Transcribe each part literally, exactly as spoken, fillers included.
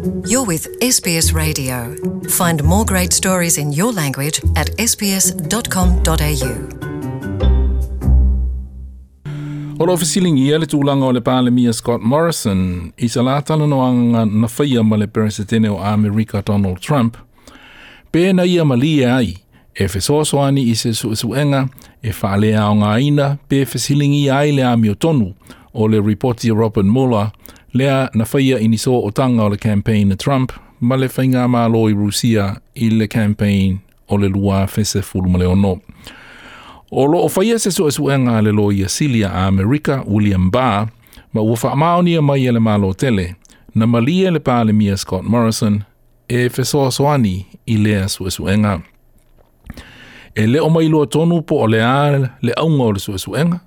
You're with S B S Radio. Find more great stories in your language at S B S dot com dot A U. O lo fesiligia le tulaga o le Palemia Scott Morrison i sa la talanoaga na faia ma le Peresetene o Amerika Donald Trump, pe na ia malie ai e fesoasoani i se suesuega e faaleaogaina pe fesiligia ai le amiotonu o le ripoti a Robert Mueller lea na faia i ni sootaga o le campaign a Trump ma le faigamalo i Rusia i le campaign o le lua afe sefulu ma le ono. O loo faia se suesuega a le Loia Sili a Amerika William Barr, ma ua faamaonia mai e le Malo tele, na malie le Palemia Scott Morrison e fesoasoani i lea suesuega. E le o mai lua tonu po o le a le auga o le suesuega,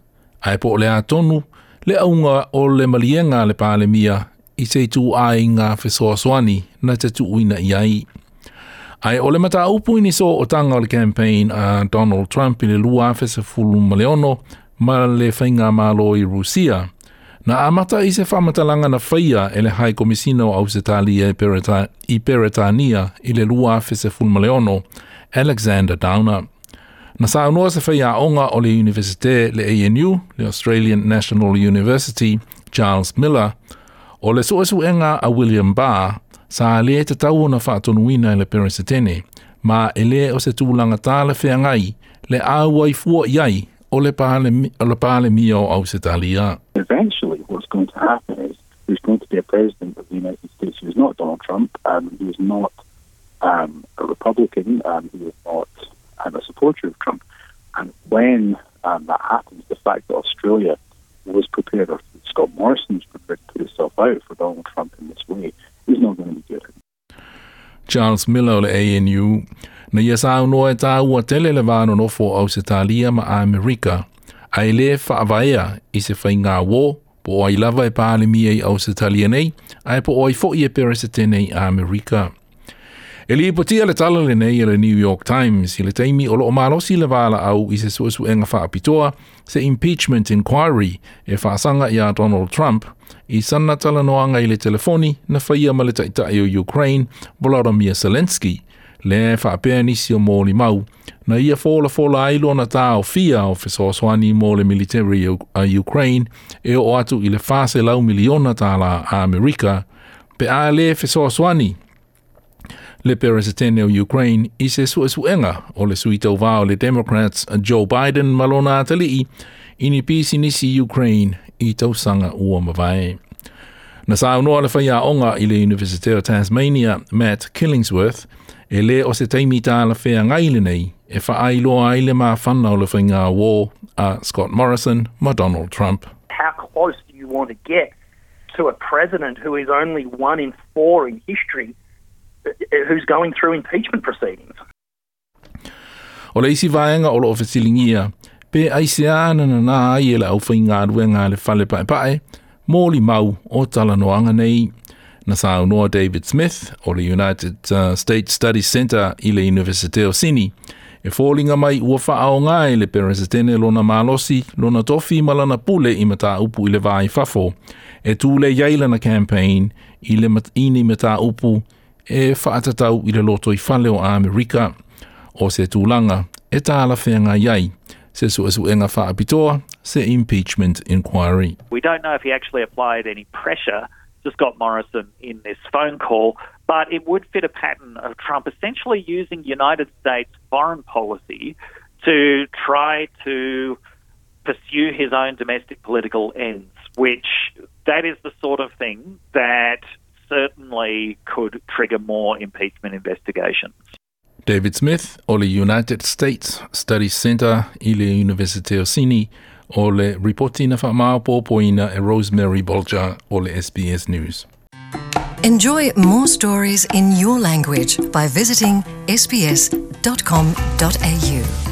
ae po o le a tonu le auga o le maliega a le Palemia i se ituaiga fesoasoani na te tuuina i ai. Ae o le mataupu i ni sootaga o le campaign a Donald Trump i le lua afe sefulu ma le ono ma le faigamalo i Rusia, na amata i se faamatalaga na faia e le High Komisina o Ausetalia i Peretania i le lua afe sefulu ma le ono, Alexander Downer. Na saunoa se faiaoga o le Universite le A N U, le Australian National University, Charles Miller, o le suesuega a William Barr, sa le tatau ona faatonuina e le Peresetene, ma e le o se tulaga talafeagai le auai fua i ai o le Palemia o Ausetalia. Eventually, what's going to happen is there's going to be a president of the United States who is not Donald Trump, um, who is not um, a Republican, um, who is not um, a supporter of Trump. And when um, that happens, the fact that Australia was prepared, or Scott Morrison was prepared to put himself out for Donald Trump in this way, is not going to be good. Charles Miller o le A N U na ia saunoa e taua tele le va nonofo o Ausetalia ma Amerika, ae le faavaea i se faiga uō po o ai lava e Palemia i Ausetalia nei, ae po o ai fo'i e Peresetene i Amerika. E lipotia le tala lenei e le New York Times i le taimi o loo malosi le valaau i se suesuega faapitoa, se impeachment inquiry e faasaga iā Donald Trump i sana talanoaga i le telefoni na faia ma le taitai o Ukraine Volodymyr Zelensky, le faapea nisi o molimau na ia folafola ai lona taofia o fesoasoani mo le military a Ukraine e oo atu i le fa selau miliona tala a Amerika pe a le fesoasoani le Peresetene o Ukraine i se suesuega o le sui tauvā o le Democrats Joe Biden ma lona atalii i ni pisinisi Ukraine i tausaga ua mavae. Na saunoa le faiaoga i le University of Tasmania Matt Killingsworth e le o se taimi talafeagai lenei e faailoa ai le mafana o le faiga uō a Scott Morrison ma Donald Trump. How close do you want to get to a president who is only one in four in history uh, who's going through impeachment proceedings? O le isi vaega o loo fesiligia pe aisea na nanā ai e le aufaigaluega a le fale paepae molimau o talanoaga nei. Na saunoa David Smith o le United uh, States Studies Centre i le Universite o Sydney e foliga mai ua faaoga e le Peresetene lona malosi, lona tofi ma lana pule i mataupu i le va i fafo e tulei ai lana campaign i le mat, i ni mataupu e faatatau i le lotoifale o Amerika, o se tulaga e talafeagai ai se suesuega faapitoa, se impeachment inquiry. We don't know if he actually applied any pressure to Scott Morrison in this phone call, but it would fit a pattern of Trump essentially using United States foreign policy to try to pursue his own domestic political ends, which that is the sort of thing that certainly could trigger more impeachment investigations. David Smith o le United States Studies Centre i le University o Sydney, o le ripoti na faamaopoopoina e Rosemary Bolger o le S B S News. Enjoy more stories in your language by visiting S B S dot com dot A U.